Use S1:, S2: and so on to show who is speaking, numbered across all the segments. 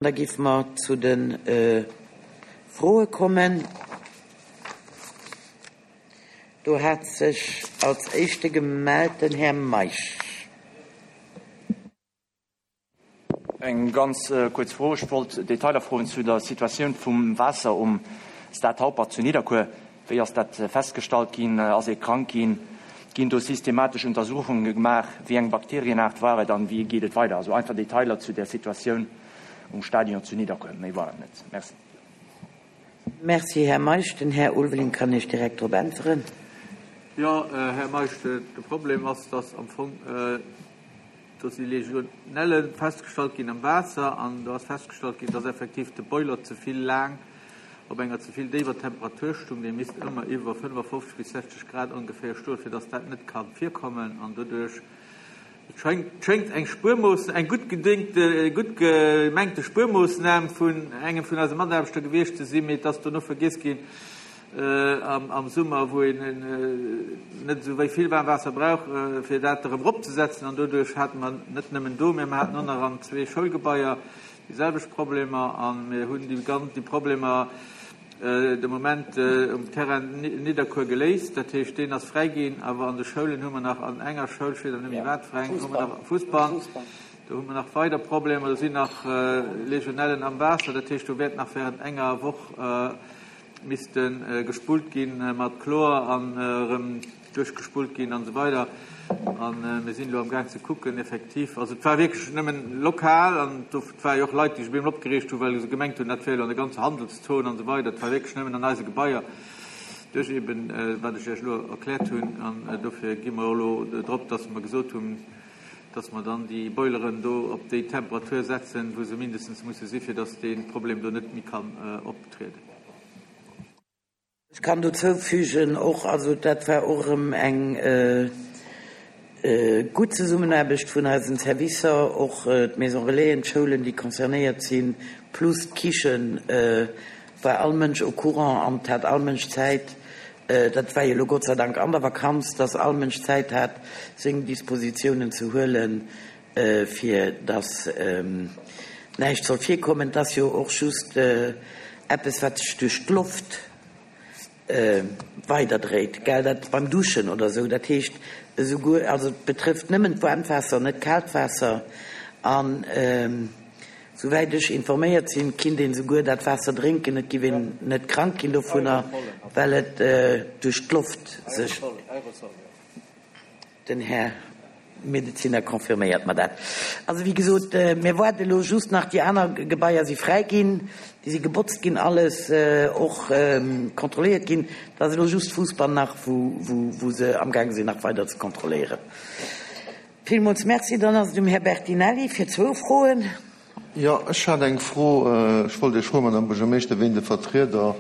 S1: Da géife mer zu de Froe kommen. Do hat sech als Éischte gemellt den Här Meisch.
S2: Eng ganz kuerz Fro. Ech wollt Detailer froen zu der Situatioun vum Waasser um Stade Haupert zu Nidderkuer. Wéi ass dat festgestallt ginn? Ass ee krank ginn? Ginn do systematesch Untersuchunge gemaach? Wéi eng Bakterienaart war et an wéi geet et weider? Also einfach Detailer zu där Situatioun um Stadion zu Nidderkuer. Méi war et net. Merci.
S1: Merci, Här Meisch. Den Här Ulveling kann Iech direkt drop äntweren.
S3: Jo, Här Meisch, de Problem ass, dass am Fong do si Legionellen festgestallt ginn am Waasser an do ass festgestallt ginn, dass effektiv de Boiler ze vill laang op enger ze vill déiwer Temperatur stung. Dee misst ëmmer iwwer 55 bis 60 Grad ongeféier stoen, fir dass dat net ka virkommen an doduerch, et schéngt eng Spuermooss, eng gutt gedéngte, gutt gemengte Spuermoossnam vun engem vun eise Mataarbechter gewiescht ze sinn, mee et ass dono vergiess ginn, am Summer, wou een net esou wéi vill waarm Waasser brauch, fir dat erëm eropzesetzen. An doduerch hate mer net nëmmen do, mä mer haten och nach an zwee Schoulgebaier déi selwecht Problemer. A mir hunn déi ganz, déi Problemer de Moment um Terrain Nidderkuer geléist. Dat heescht, deen ass fräi ginn. Awer an de Schoulen hu mer nach an enger Schoul, ech weess awer net méi wat fir eng, hu mer nach Fussball, do hu mer nach weider Problemer. Do sinn nach Legionellen am Waasser. Dat heescht, do wäert nach während enger Woch misste gespullt gi mat Chlor an erëm duerchgespullt ginn an esou weider. A mir sinn elo am Gaang ze kucken, effektiv, also et war wierklech nëmmen lokal an do war jo och Leit, déi sech op eemol opgereegt hunn, well se gemengt hunn, dat wär elo an der ganzer Handelszon an esou weider. Et war wierklech nëmmen an eise Gebaier duerch eeben, wat ech Iech elo erkläert hunn. An dofir gi mer elo drop, dass mer gesot hunn, dass mer dann déi Boileren do op déi Temperatur setzen, wou se mindestens musse si fir dass dee Problem do net méi kann optrieden.
S1: Ech kann dozou fügen och, also dat war och erëm eng gutt Zesummenaarbecht vun eisen Servicer, och d'Maison Relaisen, d'Schoulen, déi concernéiert sinn, plus d'Kichen, war all Mënsch au courant an et hat all Mënsch Zäit, Dat war jo elo Gott sei Dank an der Vakanz, dass all Mënsch Zäit hat, seng Dispositiounen ze huelen, fir dass näischt soll virkommen. Et ass jo och just eppes, wat sech duerch d'Loft weiderdréit, gell, dat beim Duschen oder esou. Dat heescht esouguer, also et betrëfft nëmmen d'waarmt Waasser, net d'kaalt Waasser. An Souwäit ech informéiert sinn, kinnt een souguer dat Waasser drénken, et giff een net krank ginn dovunner, well et duerch d'Loft sech. Den Här Medezinner confirméiert mer dat. Also wéi gesot, mir waarde elo just nach, déi aner Gebaier si fräi ginn, déi si gebotzt ginn, alles och kontrolléiert ginn. Et ass elo just Fussball nach, wou se amgaange sinn nach weider ze kontrolléieren. Villmools Merci. Dann ass et um Här Bertinelli fir zwou Froen.
S4: Jo, ech hat eng Fro. Ech wollt Iech froen, Madame Buergermeeschter, wien de Vertrieder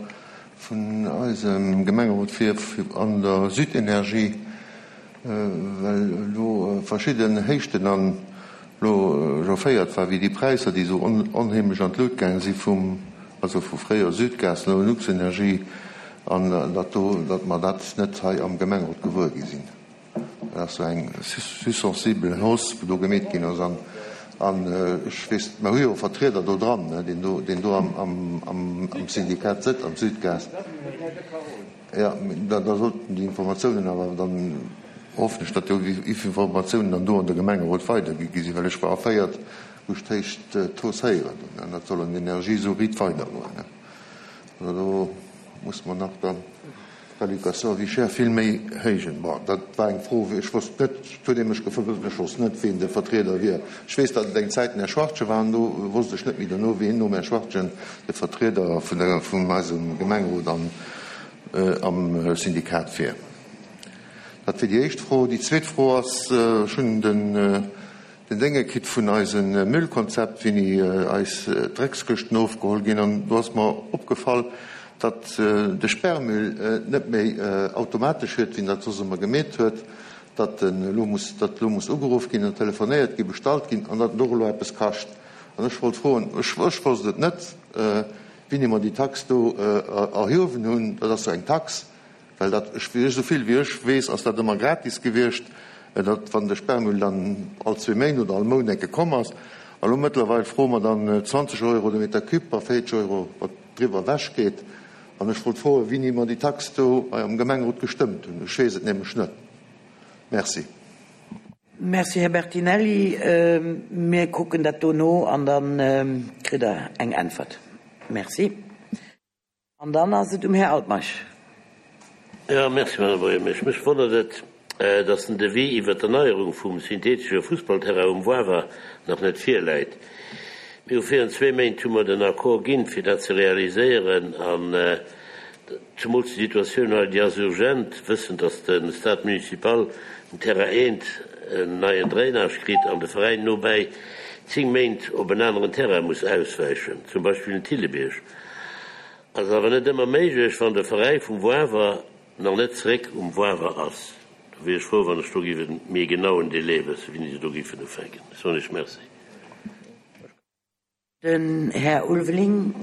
S4: vun eisem Gemengerot wier an der Südenergie, well elo verschidden Héichten an elo chaufféiert war, wéi déi Präisser, déi esou onheemlech an d'Lut gaange si vum, also vu fréier Südgas, elo Luxenergie, an datt do, datt mer dat net hei am Gemengerot gewuer gi sinn. Dat ass sou eng sussensible Hausse, wou do gemeet ginn ass. An ech weess, mer hu jo e Vertrieder do dran, deen do, deen do am Syndikat sëtzt, am Südgas. Jo, da sollten déi Informatiounen awer dann, hoffen ech, datt déi Informatiounen dann do an de Gemengerot weidergi gi sinn, well ech war erféiert, wou ech d'héicht d'Hausse héieren hunn. An dat soll an Energie esou riit weidergoen. Also do muss mer nach dann D'Allocation vie chère vill méi héijen. Bon, dat war eng Fro, ech wosst net, et huet ee mech gefrot, ech wosst net, wien de Vertrieder wier. Ech weess, datt et eng Zäit den Här Schwartgen war, an do wosst ech net méi dono, wien nom Här Schwartgen de Vertrieder vun der, vun eisem Gemengerot an am Syndikat wier. Dat wier déi éischt Fro. Déi zweet Fro ass, ech hunn den, Den Dénge kritt vun eise Müllkonzept, wéini eis Dreckskëschten ofgeholl ginn. An do ass mer opgefall, datt de Sperrmüll net méi automatesch huet, wéi en dat soss ëmmer gemeet huet, datt en elo muss, datt elo muss ugeruff ginn an telefonéiert ginn, bestallt ginn an datt en och elo eppes kascht. An ech wollt froen, ech wosst et net, wéini mer déi Tax do erhuewen hunn, dat ass jo eng Tax, Well dat, ech, esou vill wéi ech weess, ass dat ëmmer gratis gewiescht, datt wann de Sperrmüll dann all zwee Méint oder all Mount enke komm ass. A lo mëttlerweil froe mer dann 20 Euro de Meter cube a 40 Euro, wat driwwer ewech geet. An ech wollt froen, wéini mer déi Tax do hei am Gemengerot gestëmmt hunn. Ech weess et nämlech net. Merci.
S1: Merci, Här Bertinelli. Mir kucken dat do no an da kritt Der eng Äntwert. Merci. An dann ass et um Här Altmeisch.
S5: Jo, merci, Madame Buergermeesch. Mech wonnert et, dass den Devis iwwert d'Erneierung vum synthetesche Fussballterrain um Wawer nach net virläit. Mir hu virun zwee Méint hu mer den Accord ginn, fir dat ze realiséieren. An zemools déi Situatioun hei, déi ass urgent, wëssend, dass de Stade municipal um Terrain eent en neien Drainage kritt an de Veräin nobäi 10 Méint op en aneren Terrain muss auswäichen, zum Beispill den Thillebierg. Ass awer net ëmmer méiglech, wann de Veräi vum Wawer nach net zeréck um Wawer ass. Do wier ech frou, wann ech do géif e méi genauen Délai wëssen, wéini se do géifen ufänken. Ech soen Iech Merci.
S1: Den Här Ulveling.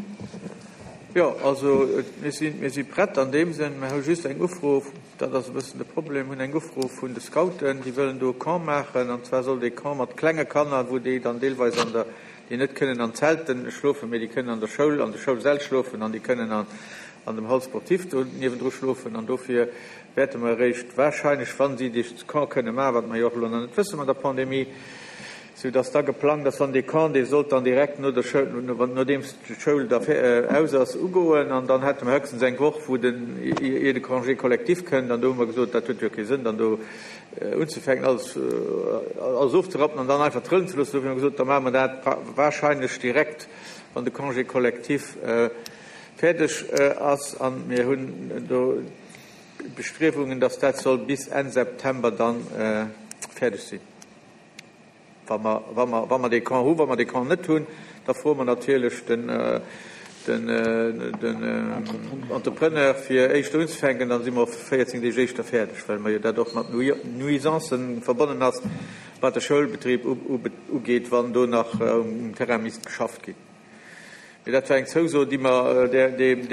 S3: Jo, also mir si, mir si prett an deem Sënn. Mir hu just eng Ufro, dat ass e bëssen de Problem, hunn eng Ufro vun de Scouten, déi wëllen do e Camp maachen. An zwar soll dee Camp mat klenge Kanner, wou déi dann deelweis an der, déi net kënnen an Zelten schlofen, mee déi kënnen an der Schoul, an de Schoulsäll schlofen an déi kënnen an, an dem Hall sportif do niewendru schlofen. An dofir wäerte mer eréischt wahrscheinlech, wa si dee Camp kënne maachen, wat mer jo och elo nach net wësse mat der Pandemie, Sou dass da geplangt ass, wann dee Camp, dee sollt dann direkt no der Schoul, nodeems d'Schoul da aus ass, ugoen. An dann hätte mer héchstens eng Woch, wou den, ier de Congé collectif kënnt. An do hu mer gesot, dat huet jo kee Sënn, dann do unzefänken, alles, alles ofzerappen an dann einfach trëllen ze loossen. Dofir hu mer gesot, da maache mer dat wahrscheinlech direkt, wann de Congé collectif fäerdeg ass. A mir hunn do d'Bestriewungen, dass dat soll bis Enn September dann fäerdeg sinn. Wa mer, wa mer, wa mer dee Camp hunn, wa mer dee Camp net hunn, da froe mer natierlech den, den, den Entrepreneur, fir éischter unzefänken. Dann si mer och 14 Deeg éischter fäerdeg, well mer jo dat och mat Nuisancen verbonnen ass, wat de Schoulbetrib ugeet, wann do nach um Terrain misst geschafft ginn. Mee dat war eng Zouso, déi mer deem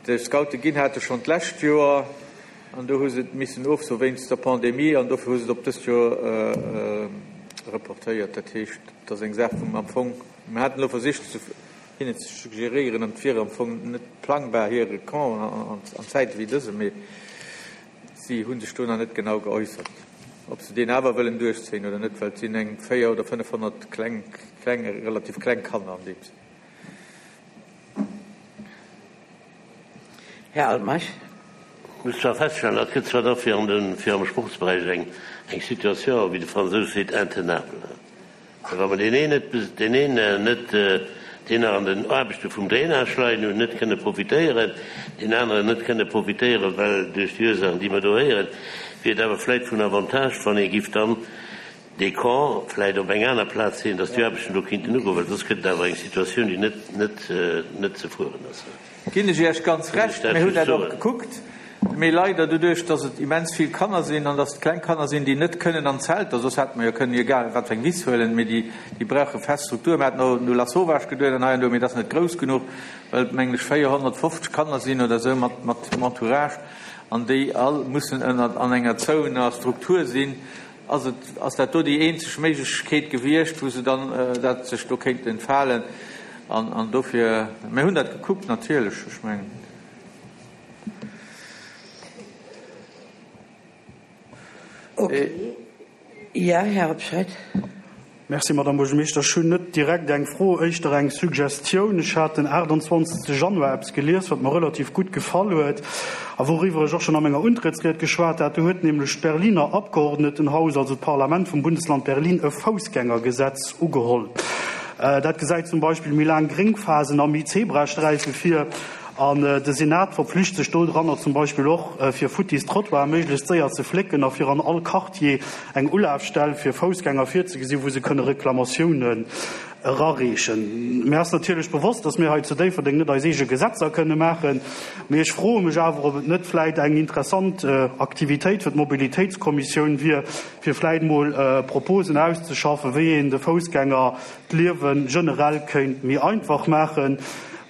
S3: de Scoute ginn hate schonn d'lescht Joer. An do hu se et missen ofsoe wéinst der Pandemie an dofir hu se et op dëst Joer reportéiert. Dat heescht, et ass eng Saach vum am Fong, mir haten elo versicht hinnen ze suggeréieren, an et wier am Fong net plangbar hire Camp an Zäite wéi dëse, mee si hu sech do nach net genau geäussert, ob se deen awer wëllen duerchzéien oder net, well et sinn eng 400 oder 500 kleng, kleng, relativ kleng Kanner an deem Sënn.
S1: Här Altmeisch.
S5: Ech muss zwar feststellen, dat gëtt zwar da fir an de, fir am Sportsberäich eng, eng Situation, wéi de Fransous seet, intenable. Well wa mer deen een net, deen een net, deen nach an den Aarbechte vum Drainage leien hunn, net kënne profitéieren, deen aneren net kënne profitéieren, well duerch déi Ursaachen, déi mer do héieren, wier et awer vläicht vun Avantage, wann ee giff dann dee Camp vläicht op eng aner Plaz leeën, dass déi Aarbechten do kinnten ugoen, well soss gëtt et awer eng Situatioun, déi net, net, net ze fueren ass.
S3: Ginn ech Iech ganz Recht. Mir hunn dat och gekuckt. Mee leider, doduerch dass et immens vill Kanner sinn an dass et kleng Kanner sinn, déi net kënnen an Zelter, soss hätte mer jo kënnen egal wat fir eng Wiss huelen, mee déi, déi brauche fest Strukturen. Mir haten och un Lasauvage geduet an hei an do, mee dat ass net grouss genuch, well et, mengen ech, 450 Kanner sinn oder esou mat, mat Entourage an déi all mussen ënner, an enger zouener Struktur sinn. Ass et, ass dat do déi eenzeg Méiglechkeet gewiescht, wou se dann dat sech do kéinten entfalen? An, an dofir, mir hunn dat gekuckt natierlech, ech mengen.
S1: Okay. Jo, Här Hobscheit.
S6: Merci, Madame Buergermeeschter. Ech hunn net direkt eng Fro, éischter eng Suggestioun. Ech hat den 28. Januar eppes gelies, wat mer relativ gutt gefall huet a wouriwwer ech och schonn a menger Untrëttsried geschwat hat. Do huet nämlech d'Berliner Abgeordnetenhaus, also d'Parlament vum Bundesland Berlin, e Foussgängergesetz ugeholl. Dat gesäit zum Beispill méi laang Gréngphasen a méi Zebrasträife vir. An de Senat verpflicht sech dodranner zum Beispill och, fir futtis Trottoire méiglechst séier ze flécken a fir an all Quartier eng Ulafstell fir Foussgänger virzegesinn, wou se kënne Reklamatiounen erareechen. Mir ass natierlech bewosst, dass mir hei zu Déifferdeng net eis eege Gesetzer kënne maachen, mee ech froe mech awer, ob et net vläit eng interessant Aktivitéit fir d'Mobilitéitskommissioun wier, fir vläit mol Proposen auszeschaffen, wéi een de Foussgänger d'Liewe generell kéint méi einfach maachen,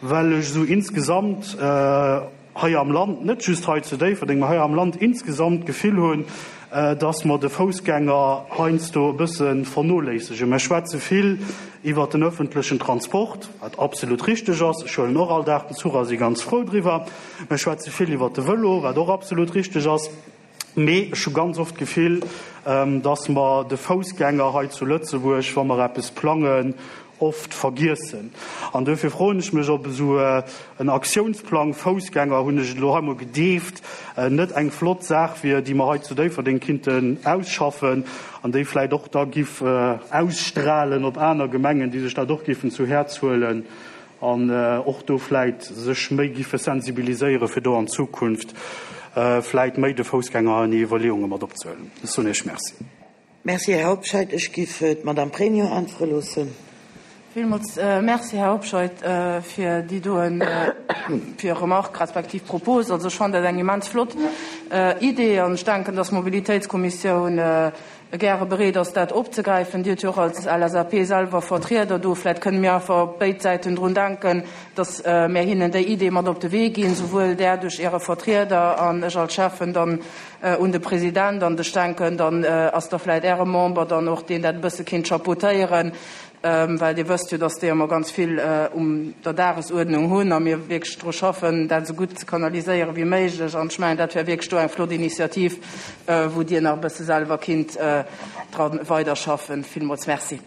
S6: well ech esou insgesamt hei am Land, net just hei zu Déifferdeng, mä hei am Land insgesamt d'Gefill hunn, dass mer de Foussgänger heiansdo e bësse vernoléissegen. Mer schwätze vill iwwert den öffentlechen Transport, wat absolut richteg ass. Ech huelen och all Dag den Zuch a si ganz frou driwwer. Mer schwätze vill iwwert de Vëlo, wat och absolut richteg ass. Mee ech hu ganz oft d'Gefill, dass mer de Foussgänger hei zu Lëtzebuerg, wa mer eppes plangen, oft vergiessen. An duerfir froen ech mech, ob esou en Aktiounsplang Foussgänger, hunn ech et elo hei emol gedeeft, net eng flott Saach wier, déi mer hei zu Déifferdeng kinnten ausschaffen an déi vläicht och da giff ausstrahlen op aner Gemengen, déi sech dat och giffen zu Häerz huelen an och do vläicht sech méi giffe sensibiliséieren, fir do an Zukunft vläicht méi de Foussgänger an hir Iwwerleeunge mat opzehuelen. Ech soen Iech Merci.
S1: Merci, Här Hobscheit. Ech giff d'Madame Pregno äntwere loossen.
S7: Villmools Merci, Här Hobscheit, fir déi doen, fir Remarque respektiv Propos. Also ech fannen dat eng immens flott Idee an ech denken, dass d'Mobilitéitskommissioun gäre bereet ass, dat opzegräifen. Dir hutt jo och als LSAP selwer Vertrieder do. Vläicht kënne mir einfach op béid Säiten drun denken, dass mär hinnen déi Idee mat op de Wee ginn, souwuel där duerch Äre Vertrieder an ech als Schäffen dann un de President. An ech denken, dann ass da vläicht Äre Member dann och deen dat e bësse kinnt chapeautéieren, well Dir wësst jo, dass déi ëmmer ganz vill um der Dagesuerdnung hunn a mir wierklech dru schaffen, dat esou gutt ze kanaliséiere wéi méiglech. An ech mengen, dat wär wierklech do eng flott Initiativ, wou Dir nach e bësse selwer kinnt dra weiderschaffen. Villmools Merci.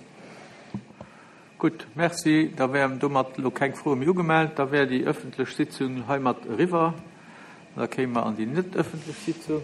S3: Gutt, Merci. Da wären domat elo keng Froe méi ugemellt. Da wär déi ëffentlech Sitzung heimat eriwwer. Da kéime mer an déi net ëffentlech Sitzung.